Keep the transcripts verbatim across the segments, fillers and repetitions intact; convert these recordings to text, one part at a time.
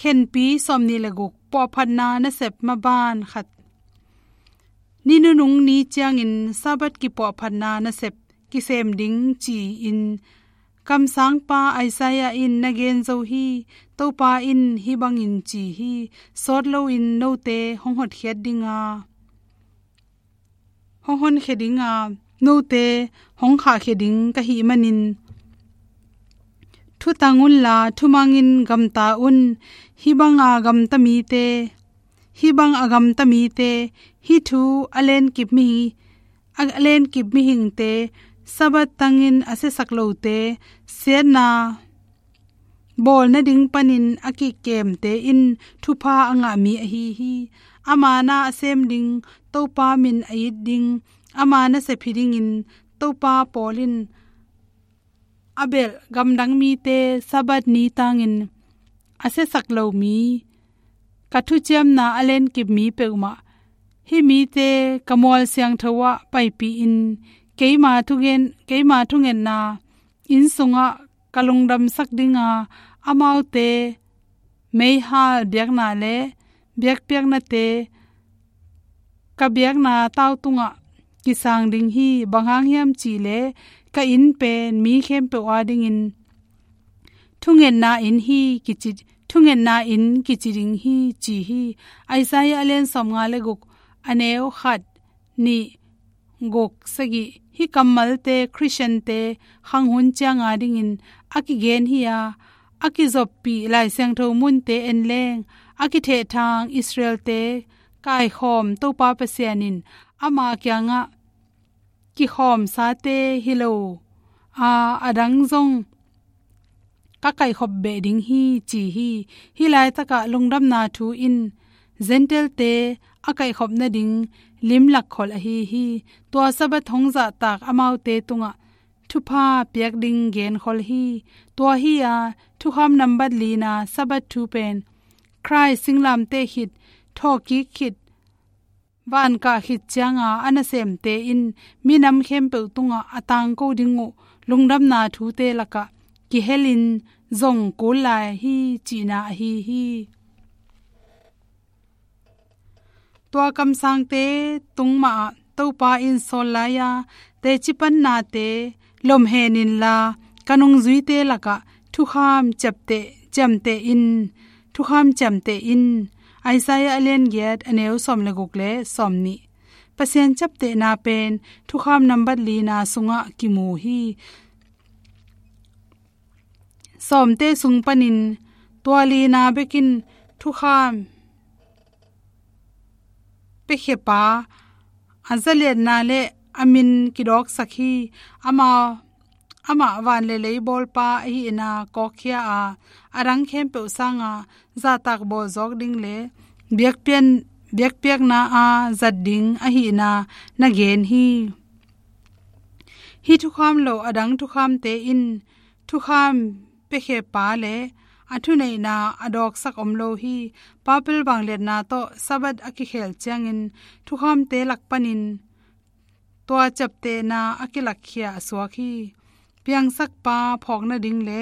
Khenpi sawmnih le guk, puahphatna nasep maban khat. Ni nunung ni ciangin Sabbath kipuahphatna nasep kisem ding ci-in kamsangpa Isaiah in na gen zo hi. Topa in hih bangin ci hi: Sawt loin note hong hotkhiat dinga, hong honkhia dinga, note hong khahkhia ding ka hih manin thutang unla thumangin gamta un. Hih banga gamta mite, hih bang a gamta mite, hih thu a lenkip mihi, a lenkip mihingte, Sabbath tangin a siasak lote, siatna bawl nading panin a kikemte in thupha a ngah mi ahi hi. Ama na a sem ding Topa min a it ding, ama nasep hi dingin Topa pawl in a belh gamdang mite, Sabbath ni tangin a siasak lo mi, ka thuciamna a lenkip mi peuhmah, hih mite ka mual siangtho ah paipih in, keima thungen, keima thungetna inn sungah ka lungdamsak dinga, amaute meihal biakna le biakpiaknate, ka biakna tau tungah kisang ding hi. Bang hang hiam cihleh ka inn pen mi khempeuh adingin thungetna inn hi kici, thungetna inn kici ding hi, ci hi. Isaiah a lian sawmnga le guk, a neu khat, nih, guk, sagih. Hih kammalte Khristiante khang hun ciang adingin a kigen hi a, a kizoppih Lai Siangtho munte en leng, a kithehthang Israelte kaikhawm Topa Pasian in ama kiangah, kikhawmsate hi lo a, adang zong ka kaihkhop beh ding hi, ci hi. Hih laitakah lungdamna thu in Gentile-te a kaihkhop nading limlak khol ahi hi. Tua Sabbath hong zahtak amaute tungah thupha piak ding genkhol hi. Tua hi a, thukham nambat lina Sabbath thu pen Khrih singlamteh khit, thawhkik khit, vankah khit cianga a nasemte in minam khempeuh tungah a tangko ding uh lungdamna thute lakah kihelin zong kul lai hi, cihna ahi hi. Tua kamsangte tung mahah Topa in sawl lai-a teci pannate lomhen inla, ka nungzuite lakah thukham ciapteh, ciamteh in, thukham ciamteh in. Isaiah a lian giat, a neu sawm le guk le sawmnih. Pasian ciaptehna pen thukham nambat lina sungah kimu hi. Sawmte sung panin tua lina bekin thukham piakhiapa a zaliatna le a min kidawksak hi. Ama, amah van le lei bawlpa ahihna kawkkhia a, adang khempeuh sanga zahtak bawlzawk ding le biakpian, biakpiakna a zat ding ahihna na gen hi. Hih thukham lo adang thukhamte in thukham piakhiapa le a thuneihna a dawksak om lo hi. Papil vangliatna tawh Sabbath a kikhel ciangin thukhamte lak panin tua ciaptehna a kilakkhia a suak hi. Piangsakpa phawk nading le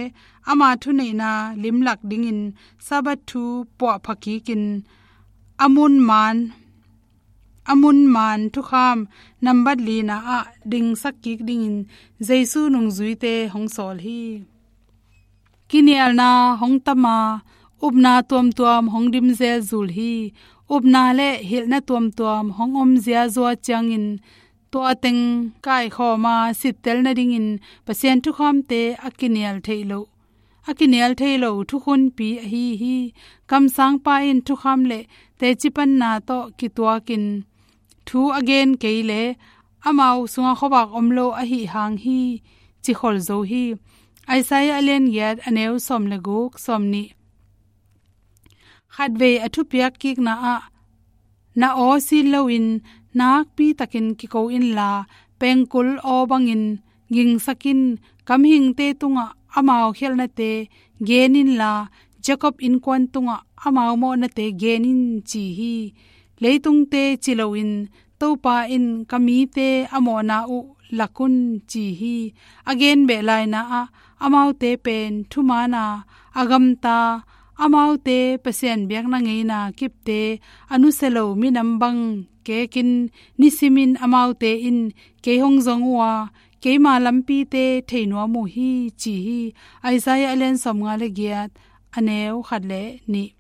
ama thuneihna limlak dingin Sabbath thu puahpha kikin a mun man, a mun man thukham nambat lina ah dingsak kik dingin Jesu nungzuite hong sawl hi. Kinialna hong tam a, upna tuamtuam hong dim zelzul hi. Upna le hilhna tuamtuam hong om ziazua ciangin tua teng kaikhawm a sittel nadingin Pasian thukhamte a kinial theih loh, a kinial thei lo thukhunpi ahi hi. Kamsangpa in thukham le tecipanna tawh kituakin thu a gen kei le amau sungah khuavak om lo ahi hang hi, ci khol zo hi. Isaiah a lian giat, a neu sawm le guk, sawmnih. Khatvei a thupiak kikna ah na aw sin loin nakpi takin kiko inla, pengkul aw bangin gingsak in. Ka mihingte tungah amau khialhnate gen inla, Jacob innkuan tungah amau mawhnate gen in, ci hi. Leitungte ci loin Topa in ka mite a mawhna uh lak un, ci hi. A gen beh laina ah amaute pen thumaana a gamta Amaute Pasian biakna ngeina kipte a nusia lo minam bang kekin nisimin amaute in kei hong zong uh a, keima lampite thei nuam uh hi, ci hi. Isaiah a lian sawmnga le giat, a neu khat le nih.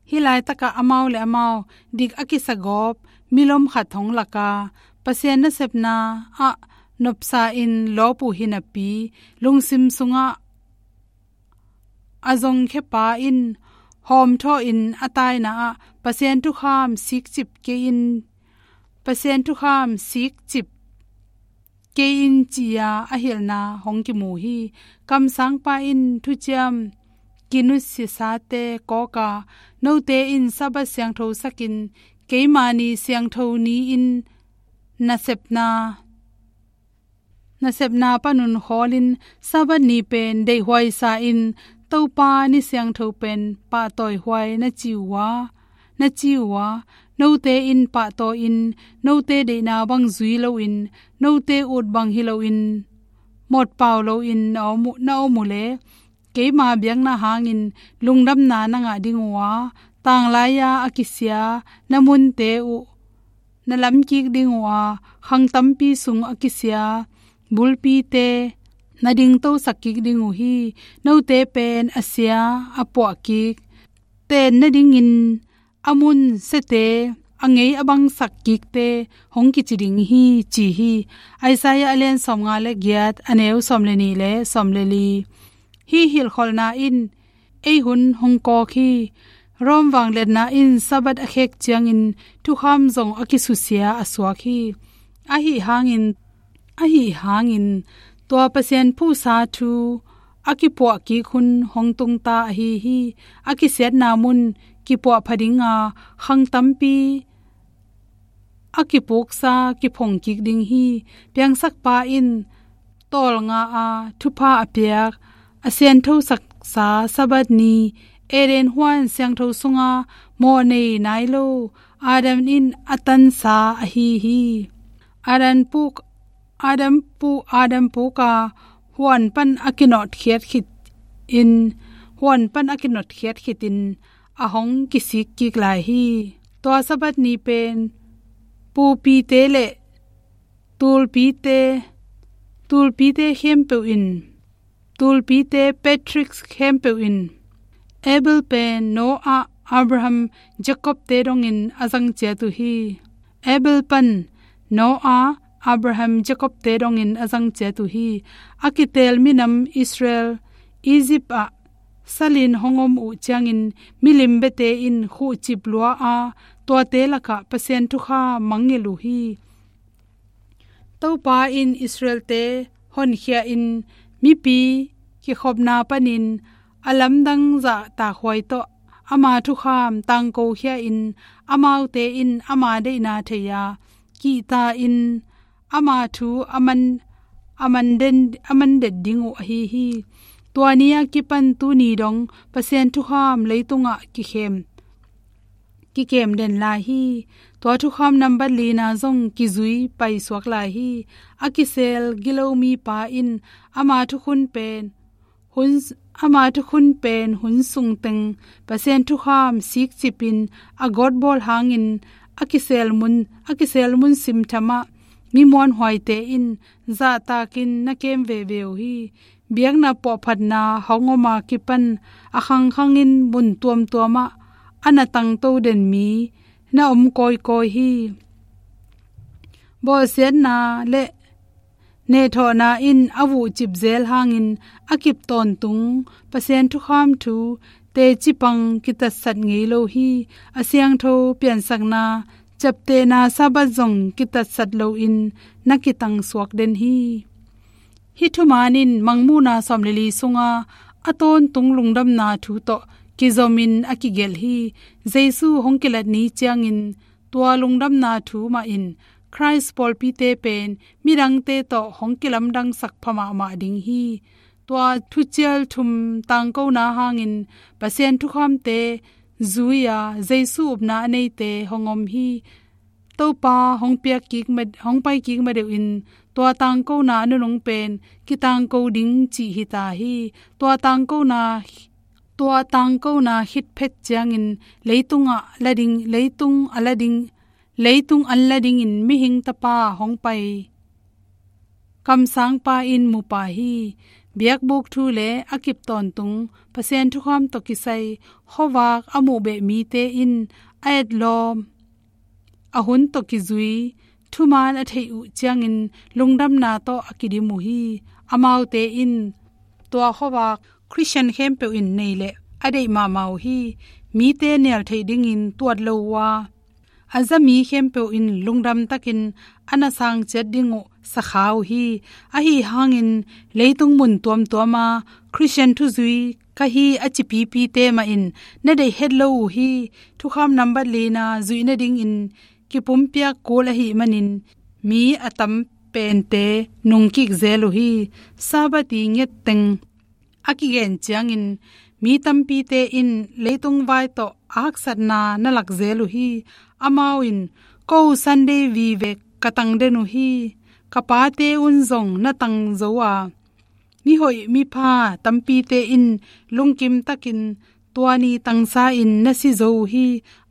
Hih laitakah amau le amau dik a kisagawp milom khat hong lak a, Pasian nasepna ah nopsa in lawp uh hi napi, lungsim sungah a zongkhia pa in hawmthawh in a taina ah Pasian thukham sikcip kei in, Pasian thukham sikcip kei in, ci-a a hilhna hong kimu hi. Kamsangpa in thuciam kinusiasate kawka, note in Sabbath siangtho sakin, keima ni siangtho ni-in nasepna nasepna panun khawlin Sabbath ni pen deihhuaisa in Topa ni siangtho pen pahtawihuai na ci uh a, na ci uh a, note in pahtawi in, note deihna bang zui loin, note ut bang hi loin, mawtpau loin na om uh, na om uh le, keima biakna hangin lungdamna na ngah ding uh a, tanglai-a a kisia na munte uh na lamkik ding uh a, khang tampi sung a kisia bulpite na dingtosak kik ding uh hi. Note pen a sia a puahkik, ten nadingin a mun siate a ngei a bangsak kikte hong kici ding hi, ci hi. Isaiah a lian sawmnga le giat, a neu sawm le nih le sawm le li. Hih hilhkholhna in ei hun hong kawk hi. Rome vangliatna in Sabbath a khek ciangin thukham zong a kisusia a suak hi. Ahi hangin, ahi hangin tua Pasian phuhsa thu a kipuahkik hun hong tungta ahi hi. A kisiatna mun kipuahpha dinga khang tampi a kipuksa kiphongkik ding hi. Piangsakpa in tawlnga a thupha a piak, a sianthosaksa Sabbath ni, Eden huan siangtho sunga mawhnei nai lo Adam in a tansa ahi hi. Adam puk, Adam pu, Adam puka huan pan a kinotkhiat khit in, huan pan a kinotkhiat khit in a hong kisik kik lai hi. Tua Sabbath ni pen pupite le tulpite, tulpite khempeuh in, tulpite Patrick khempeuh in, Abel pen Noah, Abraham, Jacob te dongin a zang ciat uh hi. Abel pan Noah, Abraham, Jacob te dongin a zang ciat uh hi. A kitel minam Israel, Egypt ah salin hong om uh ciangin milim biate in khuhcip lua a, tuate lakah Pasian thukham mangngilh uh hi. Topa in Israelte honkhia in mipi kikhopna panin a lamdang zahtakhuai tawh ama thukham tangkokhia in amaute in ama deihna thei-a kihta in ama thu a man, a man den, a man det ding uh ahi hi. Tua ni-a kipan tuni dong Pasian thukham leitungah kikhem, kikem den lai hi. Tua thukham nambat lina zong kizui paisuak lai hi. A kisel gilo mipa in ama thukhun pen hun, ama thukhun pen hun sungteng Pasian thukham sikcipin a gawtbawl hangin a kisel mun, a kisel mun simthamah mi muanhuaite in zahtakin na kem veve uh hi. Biakna puahphatna hong oma kipan a khangkhangin mun tuamtuamah a na tangto den mi na om kawikawi hi. Bawlsiatna le nehthawhna in a vuhcip zel hangin a kip tawntung Pasian thukham thu teci pang kitatsat ngei lo hi. A siangtho piansakna, ciaptehna Sabbath zong kitatsat loin na kitangsuak den hi. Hih thuman in Mangmuhna sawm le li sunga a tawntung lungdamna thu tawh kizomin a kigelh hi. Jesu hong kilat ni ciangin tua lungdamna thu mah in Khrist pawlpite pen midangte tawh hong kilamdangsak pha mahmah ding hi. Tua thucial thum tangkona hangin Pasian thukhamte zui-a Jesu upna a neite hong om hi. Topa hong piak kik ma, hong pai kik ma deuh in tua tangkona a nunung pen kitangko ding cih hi ta hi. Tua tangkona Tua tangkona khit phet ciangin leitungah la ding, leitung a la ding, leitung an la dingin mihing tapa hong pai kamsangpa in mu pah hi. Biakbuk thu le a kip tawntung Pasian thukham tawh kisai khuavak a muh beh mite in a etlawm a hun tawh kizui thuman a theih uh ciangin lungdamna tawh a kidim uh hi. Amaute in tua khuavak Khristian khempeuh in nei leh a deih mahmah uh hi. Mite nial theih dingin tuat lo uh a, a za mi khempeuh in lungdam takin a na sang ciat ding uh sakha uh hi. Ahi hangin leitung mun tuamtuama Khristian thuzui ka hi a ci pipite mah in na deih het lo uh hi. Thukham nambat lina zuih nadingin kipumpiak kul ahih manin mi a tam pente nungkik zel uh hi. Sabbath i nget teng a kigen ciangin mi tampite in leitung vai tawh a haksatna na lak zel uh hi. Amau in, "Ko Sunday vive ka tang den uh hi. Ka pate un zong na tang zo a, mihoih mipha tampite in lungkim takin tua ni tangsa in na si zo uh hi.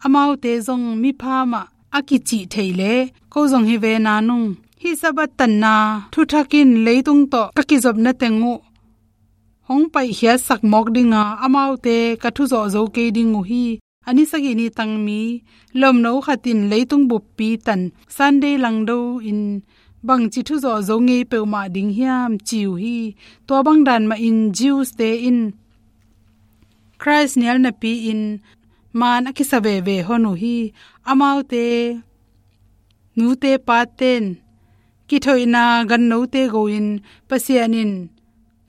Amaute zong mipha mah a kicih theih leh ko zong hi ve nanung. Hih Sabbath tanna thuthak in leitung tawh ka kizopna teng uh hong paihkhiatsak mawk ding a, amaute ka thuzawh zo kei ding uh hi. A ni sagih ni tang mi lomno khat in leitung buppi tan Sunday langdo in bangci thuzawh zo ngei peuhmah ding hiam?" ci uh hi. Tua bang dan mahin Jews-te in Christ nial napi-in maan a kisa veve hon uh hi. Amaute nute paten kithoihna gannote go-in Pasian in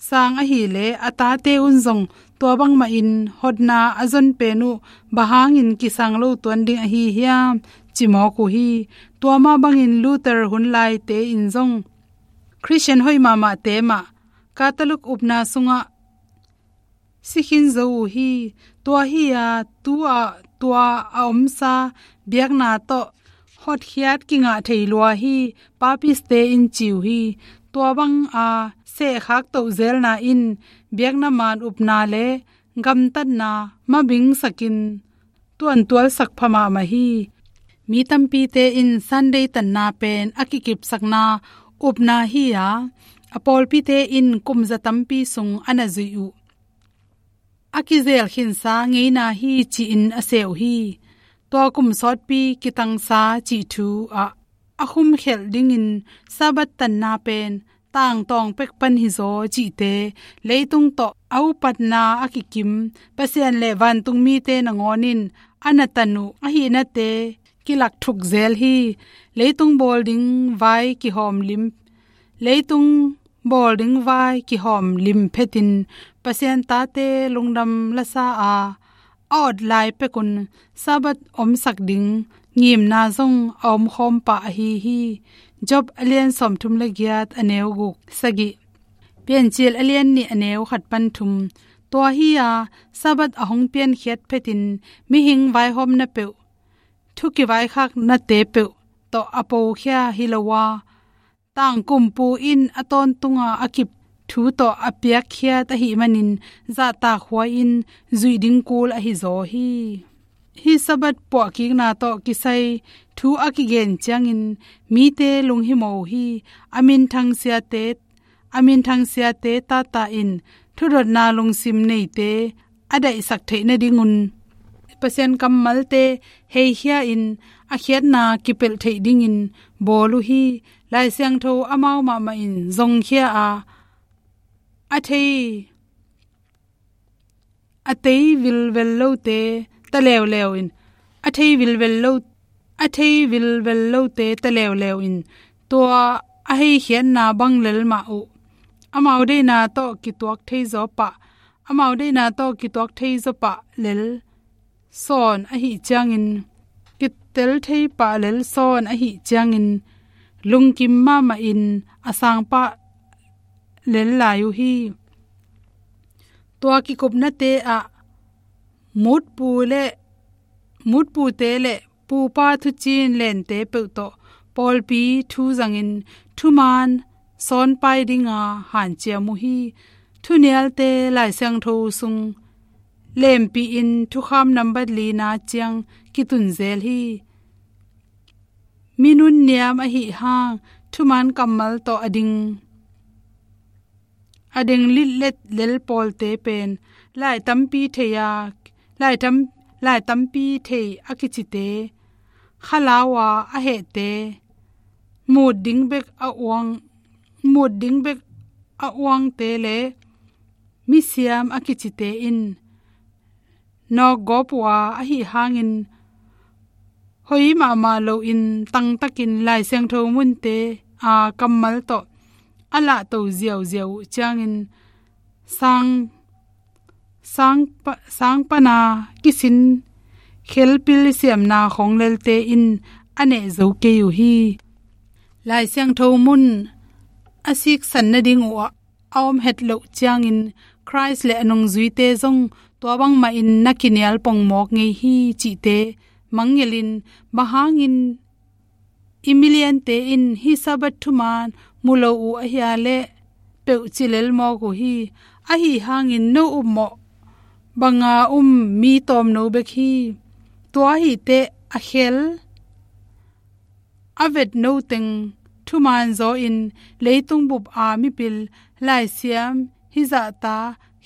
sang ahih leh a tate un zong tua bangmahin hotna a zon pen uh bang hangin kisang lo tuan ding ahi hiam, ci mawk uh hi. Tua mah bangin Luther hun laite in zong Khristian hoih mahmahte mah Catholic upna sungah si khin zo uh hi. Tua hi-a tu-ah tua a omsa biakna tawh hotkhiat kingah thei lua hi, Papist-te in ci uh hi. Tua banga sehkhak tohzelna in biakna maan upna le gamtatna mabingsakin tuantualsak pha mahmah hi. Mi tampite in Sunday tanna pen a kikipsakna upna hi-a, a pawlpite in kum za tampi sung a na zuih uh a kizel khinsa ngeina hi ci-in a seh uh hi. Tua kum sawtpi kitangsa cih thu ah a khumkhelh dingin Sabbath tanna pen tangtawng pek pan hizaw cihte, leitung tawh a upatna a kikim Pasian le vantung mite nangawn in a na tan uh ahihnate kilak thuk zel hi. Leitung bawl ding vai kihawm lim, leitung bawl ding vai kihawm lim phetin Pasian tate lungdam lasa a, a awt lai pekun Sabbath omsak ding ngimna zong a omkhawm pah ahi hi. Job a lian sawmthum le giat, a neu guk, sagih. Piancil a lian nih, a neu khat pan thum. Tua hi-a Sabbath a hong piankhiat phetin mihing vaihawmna peuh, thu kivaikhaknate peuh tawh a pokhia hi lo a, tangkumpu in a tawntunga a kip thu tawh a piakkhiat ahih manin zahtak huai-in zuih ding kul ahizaw hi. Hih Sabbath puahkikna tawh kisai thu a kigen ciangin mite lunghimawh uh hi. A minthang siate, a minthang siate tata in thudotna lungsim neite a daihsak theih nadingun Pasian kammalte heikhia-in a khiatna kipelh theih dingin bawl uh hi. Lai Siangtho amau mahmah in zongkhia a, a thei, a thei vilvel lote ta leuleu in, a thei vilvel lo, a thei vilvel lote ta leuleu in tua a heikhiatna bang lel mah uh. Amau deihna tawh kituak thei zaw pah, amau deihna tawh kituak thei zaw pah lel sawn ahih ciangin, kitel thei pah lel sawn ahih ciangin, lungkim mahmahin a sang pah lel lai uh hi. Tua kikupnate ah mutpu le, mutpute le pupa thuciin lente peuh tawh pawlpi thu zangin thumaan sawnpai dinga hanciam uh hi. Thunialte Lai Siangtho sung lempih in thukham nambat lina ciang kitun zel hi. Mi nunniam ahi hang thuman kammal tawh a ding, a ding litlet lel pawlte pen lai tampi thei a, lai tam, lai tampi thei a kicite, khalau a a hehte, mut ding bek a uang, mut ding bek a uangte le misiam a kicite in nawkgawp uh a, ahi hangin hoih mahmah loin tangtakin Lai Siangtho munte a kammal tawh a lahto ziauziau uh ciangin sang, sang, pa, sang pana kisin khelpil siamna khawnglelte in a neh zo kei uh hi. Lai Siangtho mun a siksan nading uh a a om het loh ciangin Christ le a nungzuite zong tua bangmah in na kinial pongmawk ngei hi cihte mangngilhin, bang hangin i miliante in hih Sabbath thuman mu lo uh ahia leh peuh ci lel mawk uh hi. Ahi hangin no upmawh banga um mi tawmno bek hi. Tua ahih teh a khel a vetno teng thuman zaw in leitung bup a mipil laisiam hizahta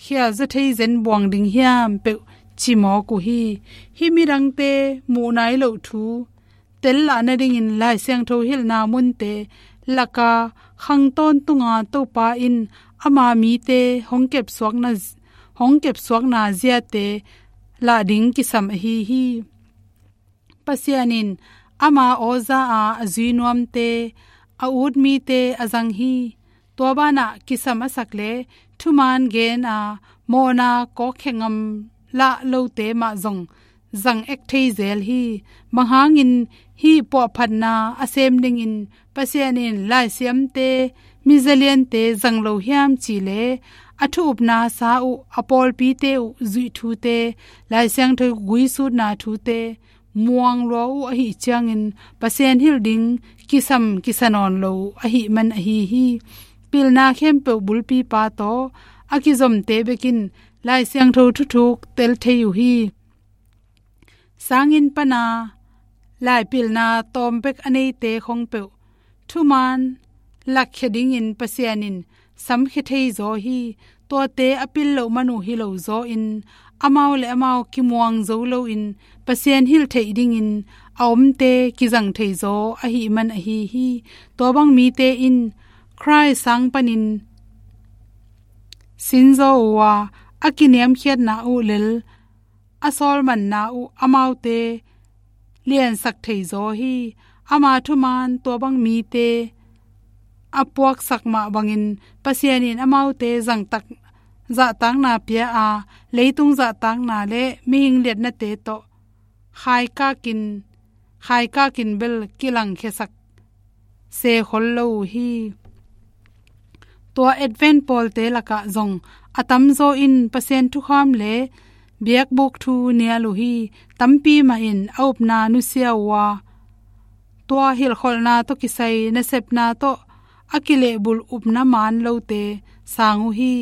khialzaw thei zen buang ding hiam peuh ci mawk uh hi. Hih midangte muh nai loh thu tel lah nadingin Lai Siangtho hilhna munte laka khang tawntunga Topa in ama mite hong kepsuakna, hong kepsuakna ziate lah ding kisam ahi hi. Pasian in ama aw za a a zui nuamte, a ut mite a zang hi. Tua banah kisam a sak le thuman gen a mawhna kawkkhe ngam lah lote mah zong zang ek thei zel hi. Bang hangin hih puahphatna a sem dingin Pasian in laisiamte, mizaliante zang lo hiam cih leh a thu upna sa uh, a pawlpite uh zuih thute, Lai Siangtho guisutna thute muang lua uh ahih ciangin Pasian hilh ding kisam kisa nawn lo uh ahih man ahi hi. Pilna khempeuh bulpipa tawh a kizomte bekin Lai Siangtho thuthuk tel thei uh hi. Sanginn pana laipilna tawm bek a neite khong peuh thuman lakkhia dingin Pasian in samkhia thei zaw hi. Tuate a pil loh man uh hi lo zaw in amau le amau kimuang zo loin Pasian hilh theih dingin a omte kizang thei zaw ahih man ahi hi. Tua bang mite in Christ sang panin sin zaw uh a, a kiniamkhiatna uh lel a sawlmanna uh amaute liansak thei zaw hi. Ama thuman tua bang mite a puaksak mah bangin Pasian in amaute zangtak, zahtakna pia a, leitung zahtakna le mihing liatnate tawh khaikakin, khaikakin bel kilangkhiasak se khol lo uh hi. Tua Advent pawlte lakah zong a tamzaw in Pasian thukham le biakbuk thu nial uh hi. Tampi mah in a upna nusia uh a, tua hilhkholhna tawh kisai nasepna tawh a kilehbulh upna maan lote sang uh hi.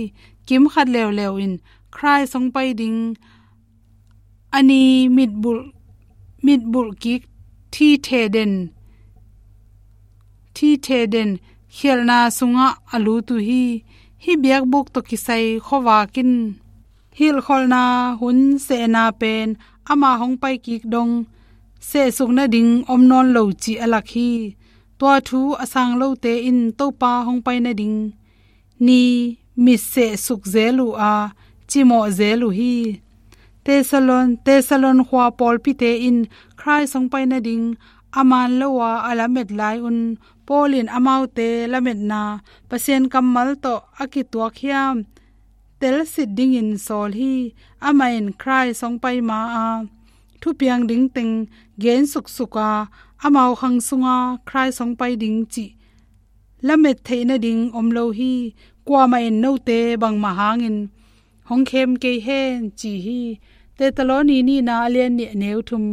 Kimkhat leuleu in Christ hong pai ding a ni mitbulh, mitbulh kik thithe den, thithe den khialhna sungah a lut uh hi. Hih biakbuk tawh kisai khuavak in hilhkholhna hun sehna pen ama hong pai kik dong sehsuk nading om nawn lo cih a lak hi. Tua thu a sang lote in Topa hong pai nading ni mit sehsuk zel uh a, cimawh zel uh hi. Thesalon, Thesalon khua pawlpite in Christ hong pai nading a maan lo a a lamet lai un Paul in amaute lametna Pasian kammal tawh a kituak hiam telsit dingin sawl hi. Amah in Christ hong pai ma a thupiang ding teng gen suksuk a, amau khang sunga Christ hong pai ding cih lamet theih nading om lo hi. Kuamah in note bangmah hangin hong khem kei hen ci hi. Thesaloni nihna a lian nih a neu thum.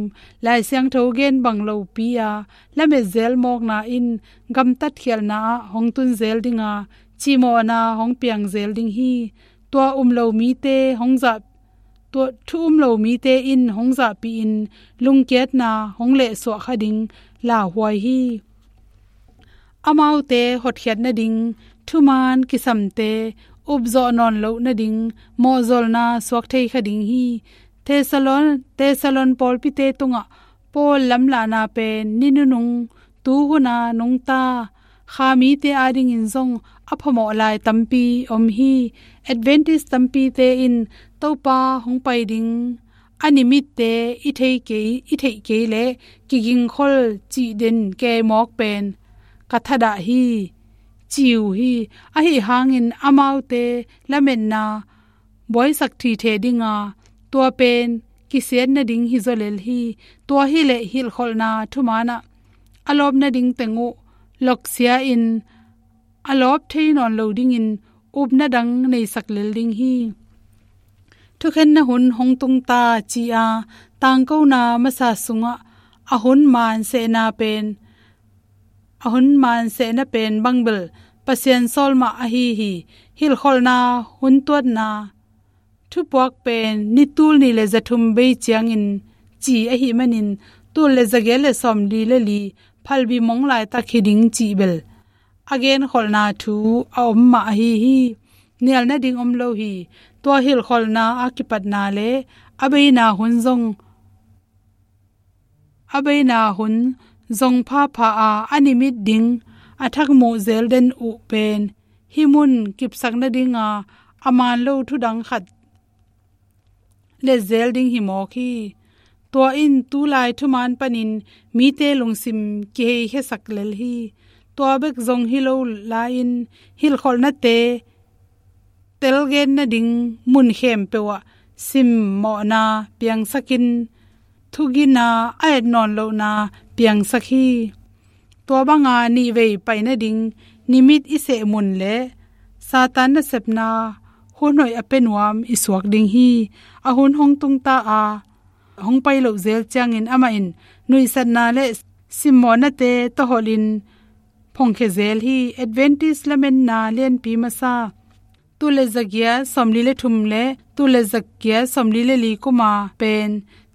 Lai Siangtho gen bang lopi a lamet zel mawkna in gamtat khialhna ah hong tun zel ding a, cimawhna hong piang zel ding hi. Tua um lo mite hong zah, tua thu um lo mite in hong zahpih in lungkiatna hong lehsuah kha ding lauhuai hi. Amaute hotkhiat nading thumaan kisamte upzawh nawn loh nading mawhzolna suak thei kha ding hi. Thesalon, Thesalon pawlpite tungah Paul lamlahna pen ni nunung, tu huna nungta, kha mite adingin zong a phamawh lai tampi om hi. Adventist tampite in Topa hong pai ding a nimitte i thei kei, i theih kei leh kigingkhol cih den kei mawk pen ka thadah hi, ci uh hi. Ahi hangin amaute lametna buaisak thithe dinga, tua pen kisiat nading hi zaw lel hi. Tua hileh hilhkholhna thumaanah a lawp nading teng uh loksia in a lawp thei nawn lo dingin upna dang neisak lel ding hi. Thukhenna hun hong tungta ci-a tangkona masa sungah a hun maansehna pen, a hun maansehna pen bangbel Pasian sawl mah ahi hi. Hilhkholhna hun tuatna thupuak pen ni tul nih le za thum bei ciangin ci ahih manin tul le za giat le sawmli le li phalbi mong laitak hi ding cih bel a genkholhna thu a om mah ahi hi. Nial nading om lo hi. Tua hilhkholhna a kipatna le a beina hun zong, a beina hun zong phapha a, a nimit ding a thakmuh zel den uh pen hih mun kipsak nadinga a maan lo thudang khat let zel ding hi mawk hi. Tua in tulai thumaan panin mite lungsim kiheikhiasak lel hi. Tua bek zong hi lo lai-in hilhkholhnate telgen nading mun khempeuh ah simmawhna piangsakin thugina a et nawn lohna piangsak hi. Tua banga nihvei pai nading nimit i seh mun le Satan nasepna hun hoih a pia nuam i suak ding hi. A hun hong tungta a, hong pai loh zel ciangin amah in nuihsatna le simmawhnate tawholhin phongkhia zel hi. Adventist lametna lianpi masa tul le za giat sawmli le thum le tul le za giat sawmli le li kuma pen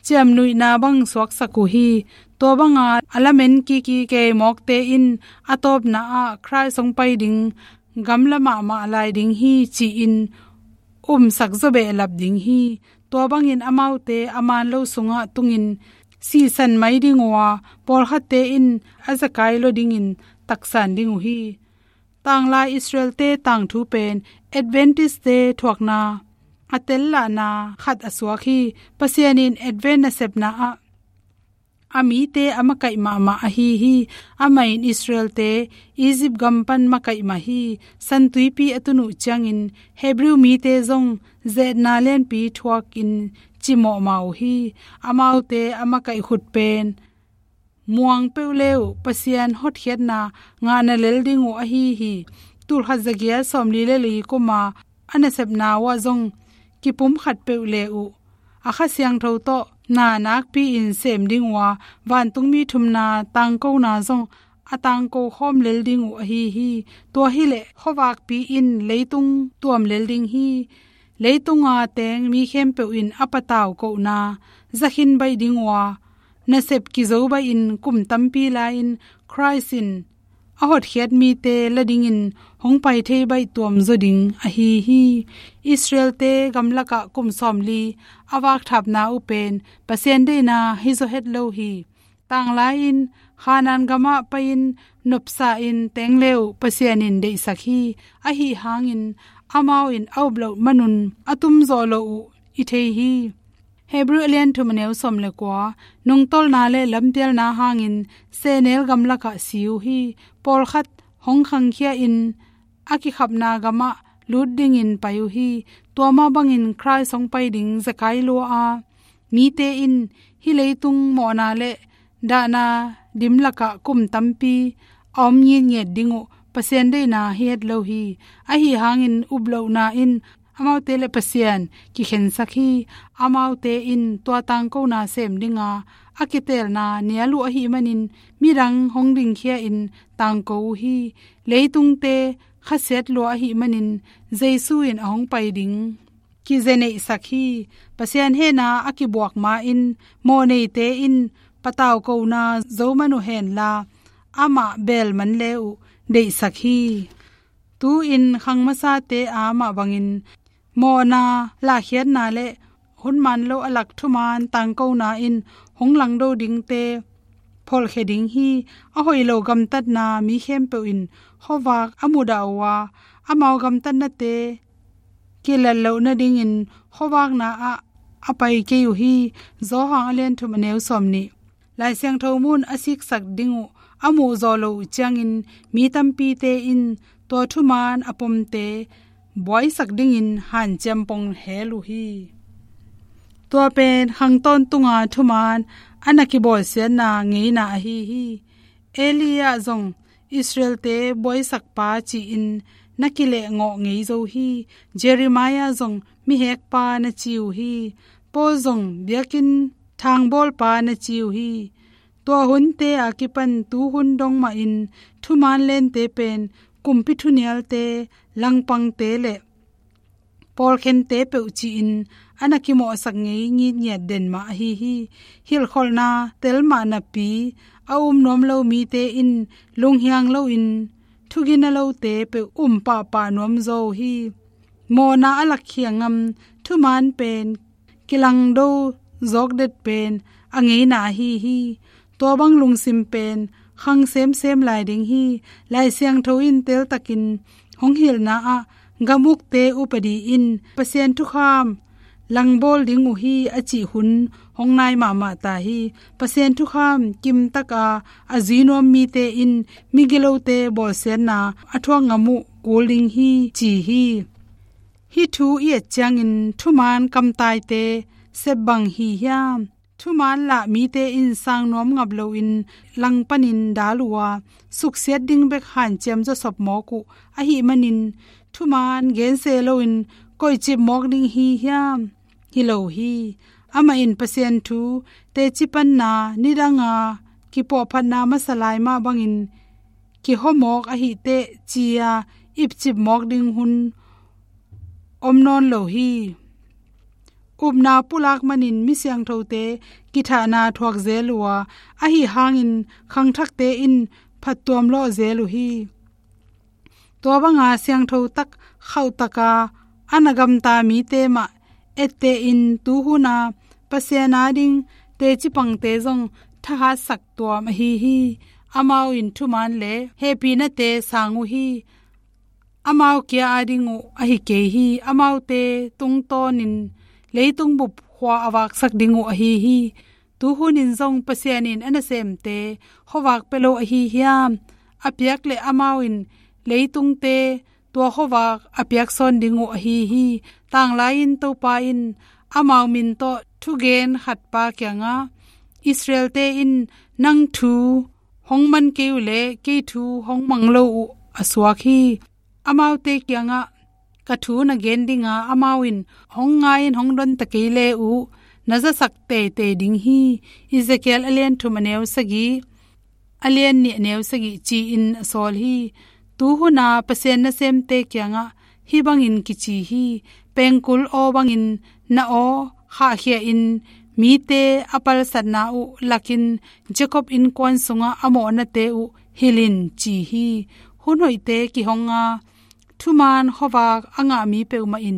ciamnuihna bang suaksak uh hi. Tua banga a lamen kiki kei mawkte in a tawpna ah Khrist hong pai ding gamla mahmah lai ding hi ci-in umsak zaw behlap ding hi. Tua bangin amaute a maan lo sungah tungin sisan mai ding uh a, pawlkhatte in a zekai lua dingin taksan ding uh hi. Tanglai Israelte tangthu pen Adventistte thuakna a tellahna khat a suak hi. Pasian in Advent nasepna ah a mite a makaih mahmah ahi hi. Amah in Israelte Egypt gam pan makaih mah hi. San Tuipi a tun uh ciangin Hebrew mite zong ze-etna lianpi thuakin cimawh mah uh hi. Amaute a makaih khut pen muang peuh le uh Pasian hotkhiatna ngahna lel ding uh ahi hi. Tulkhat za giat sawmli le li kuma a nasepna uh ah zong kipum khat peuh le uh a Kha Siangtho tawh na nakpi-in sem ding uh a, vantungmi thumna tangkona zong a tangko khawm lel ding uh ahi hi. Tua hileh khuavakpi in leitung tuam lel ding hi. Leitunga teng mi khempeuh in a patau kohna zakhin baih ding uh a, nasep kizo baihin kum tampi lai-in Khrist in a hotkhiat mite la dingin hong pai thei baih tuamzaw ding ahi hi. Israelte gamlakah kum sawmli a vakthapna uh pen Pasian deihna hi zaw het lo hi. Tanglai-in Khanaan gamah pai-in nopsa-in teng le uh Pasian in deihsak hi. Ahi hangin amau in a up loh manun a tumzawh loh uh i thei hi. Hebrew a lian thum a neu sawm le kua, nungtolna le lampialna hangin sehnel gamlakah si uh hi. Pawlkhat hong khangkhia-in a kikhapna gamah lut dingin pai uh hi. Tua mah bangin Khrist hong pai ding zekai lua a, mite in hih leitung mawhna le dahna dim lakah kum tampi a om ngitnget ding uh Pasian deihna hi het lo hi. Ahi hangin uplohna in amaute le Pasian kikhensak hi. Amaute in tua tangkona sem dinga a kitelna nial uh ahih manin midang hong dingkhia-in tangko uh hi. Leitungte khasiat lua ahih manin Jesu in a hong pai ding kizeneihsak hi. Pasian hehna a kibuak ma-in mawhneite in patauhkona zo man uh henla, amah beel man le uh deihsak hi. Tu-in khang masate a mah bangin mawhna lahkhiatna le hun man lo a lak thuman tangkona in hong langdo dingte pholhkhia ding hi. A hoih lo gamtatna mi khempeuh in khuavak a mudah uh a, amau gamtatnate kilat loh nadingin khuavakna ah a pai kei uh hi. Johan a lian thum a neu sawmnih. Lai Siangtho mun a siksak ding uh a muhzawh loh uh ciangin mi tampite in tua thuman a pomte buaisak dingin hanciam pong hel uh hi. Tua pen khang tawntunga thuman a na kibawlsiatna ngeina ahi hi. Elia zong Israelte buaisakpa ci-in na kilehngawh ngei zo hi. Jeremiah zong mihekpa na ci uh hi. Paul zong biakinn thangbawlpa na ci uh hi. Tua hunte a kipan tuhun dong mahin thuman lente pen kumpi thunialte, langpangte le pawlkhente peuh ci-in a na kimawhsak ngei ngitngiat den mah ahi hi. Hilhkholhna tel mah napi a um nuam lo mite in lunghiang loin thugina lote peuh um pahpah nuam zaw uh hi. Mawhna a lakkhia ngam thuman pen kilangdo zawkdet pen a ngeina ahi hi. Tua bang lungsim pen khang semsem lai ding hi. Lai Siangtho in teltakin hong hilhna ah gam ukte upadi in Pasian thukham langbawl ding uh hi a cih hun hong nai mahmah ta hi. Pasian thukham kimtaka a zui nuam mite in migilote bawlsiatna a thuak ngam uh kul ding hi ci hi. Hih thu i et ciangin thuman kamtaite sep bang hi hiam? Thuman lah mite in sang nuam ngap loin langpanin dal uh a, suksiat ding bek hanciam zawsop mawk uh ahih manin thuman gense loin koihcip mawk ding hi hiam? Hi lo hi. Amah in Pasian thu teci panna nidanga kipuahphatna masa lai mah bangin kihawmawk ahih teh ci-a ipcip mawk ding hun om nawn lo hi. Upna pulak manin mi siangthote kithahna thuak zel uh a, ahi hangin khangthakte in phattuam lawh zel uh hi. Tua banga siangtho tak khauhtaka a na gamta mite mah ettehin tuhuna Pasian ading teci pangte zong thahatsak tuam ahi hi. Amau in thuman le hehpihnate sang uh hi. Amau kia ading uh ahi kei hi. Amaute tungtawnin leitung bup khua a vaksak ding uh ahi hi. Tuhunin zong Pasian in a nasemte khuavak pia lo ahi hiam? A piak le amau in leitungte tua khuavak a piak sawn ding uh ahi hi. Tanglai-in Topa in amau min tawh thugen khatpa kiangah, Israelte in nang thu hong man kei uh le kei thu hong mang lo uh a suak hi. Amaute kiangah ka thu na gen dinga amau in hong ngai-in hong don ta kei le uh na zasak teitei ding hi. Ezekiel a lian thum a neu sagih, a lian nih a neu sagih ci-in a sawl hi. Tuhuna Pasian nasemte kiangah hih bangin kici hi. Pengkul aw bangin na aw khahkhia-in mite a palsatna uh lakin Jacob innkuan sungah a mawhnate uh hilh in ci hi. Hun hoihte kihonga thuman khuavak a ngah mi peuhmah in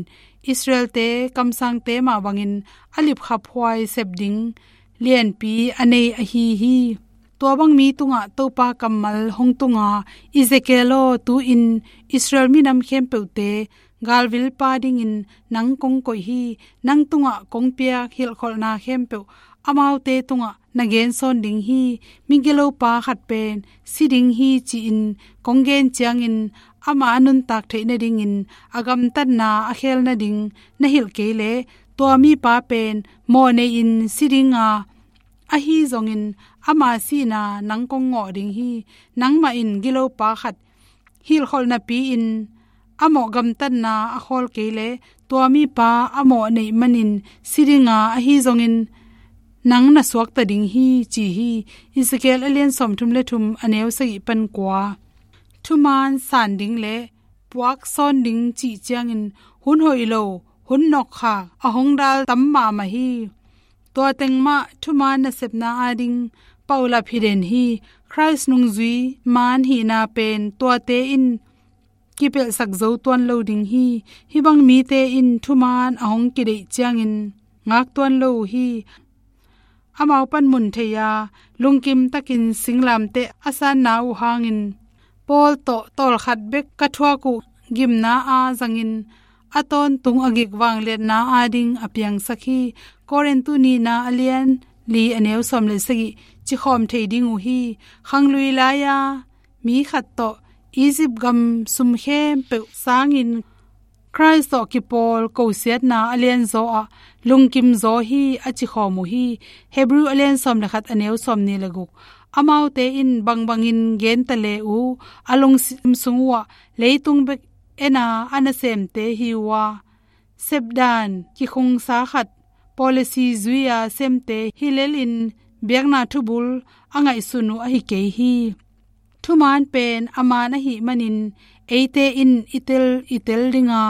Israelte kamsangte mah bangin a lipkhaphuai sep ding lianpi a nei ahi hi. Tua bang mi tungah Topa kammal hong tunga, Ezekiel aw, tu-in Israel minam khempeuhte galvilpa dingin nang kong koih hi. Nang tungah kong piak hilhkholhna khempeuh amaute tungah na gensawn ding hi. Migilopa khat pen si ding hi ci-in kong gen ciangin ama a nuntak theih nadingin a gamtatna a khel nading na hilh kei leh tua mipa pen mawhnei-in si dinga, ahi zongin ama sihna nang kong ngawh ding hi. Nangmah in gilopa khat hilhkholh napi-in a mawh gamtatna a khawl kei leh tua mipa a mawh neih manin si dinga, ahi zongin nang na suakta ding hi ci hi. Ezekiel a lian sawmthum le thum a neu sagih pan kua. Thuman san ding le puak sawn ding cih ciangin hun hoih lo, hun nawkkhak a hong dal tam mahmah hi. Tua teng mah thumaan nasepna ading paulap hi den hi. Khrist nungzui maan hihna pen tuate in kipelhsak zo tuan lo ding hi. Hih bang mite in thumaan a hong kideih ciangin ngak tuan lo uh hi. Amau pan mun thei a, lungkim takin singlamteh a sanna uh hangin, Paul tawh tawlkhat bek ka thuak uh gimna a zangin a tawntung a gik vangliatna ading a piangsak hi. Korintu nihna a lian li a neu sawm le sagih cikhawm thei ding uh hi. Khanglui lai-a mi khat tawh Egypt gam sum khempeuh sangin Khrist tawh kipawl kosiatna a lianzaw ah lungkimzaw hi a cikhawm uh hi. Hebrew a lian sawm le khat a neu sawm nih le guk. Amaute in bangbangin genta le uh, a lungsim sung uhah leitung bek ena a nasemte hi uh a, sepdan kikhungsa khat policy zui-a semte hi lelin biakna thubul a ngaihsun uh ahi kei hi. Thumaan pen a maan ahih manin eite in i tel i tel dinga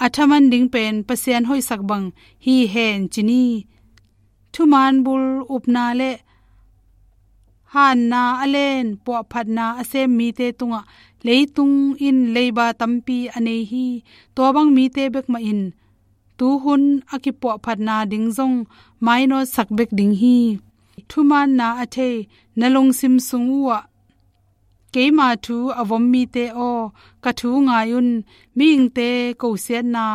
a thaman ding pen Pasian hoihsak bang hi hen ci ni. Thumaan bul upna le hanna a len puahphatna a sem mite tungah leitung in leiba tampi a nei hi. Tua bang mite bek mah in tuhun a kipuahphatna ding zong mainawtsak bek ding hi. Thumaanna a thei na lungsim sung uhah keima thu a vom mite aw, ka thu ngai un. Mihingte kosiatna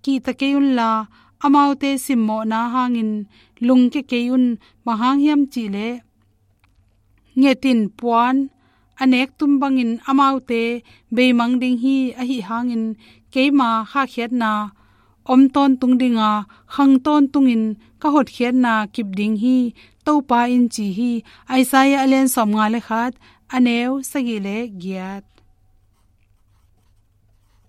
kihta kei unla, amaute simmawhna hangin lungkia kei un. Bang hang hiam cihleh ngetin puan a nektum bangin amaute beimang ding hi. Ahi hangin keima khahkhiatna om tawntung dinga, khang tawntungin ka hotkhiatna kip ding hi, Topa in ci hi. Isaiah a lian sawm nga le khat, a neu sagih le giat.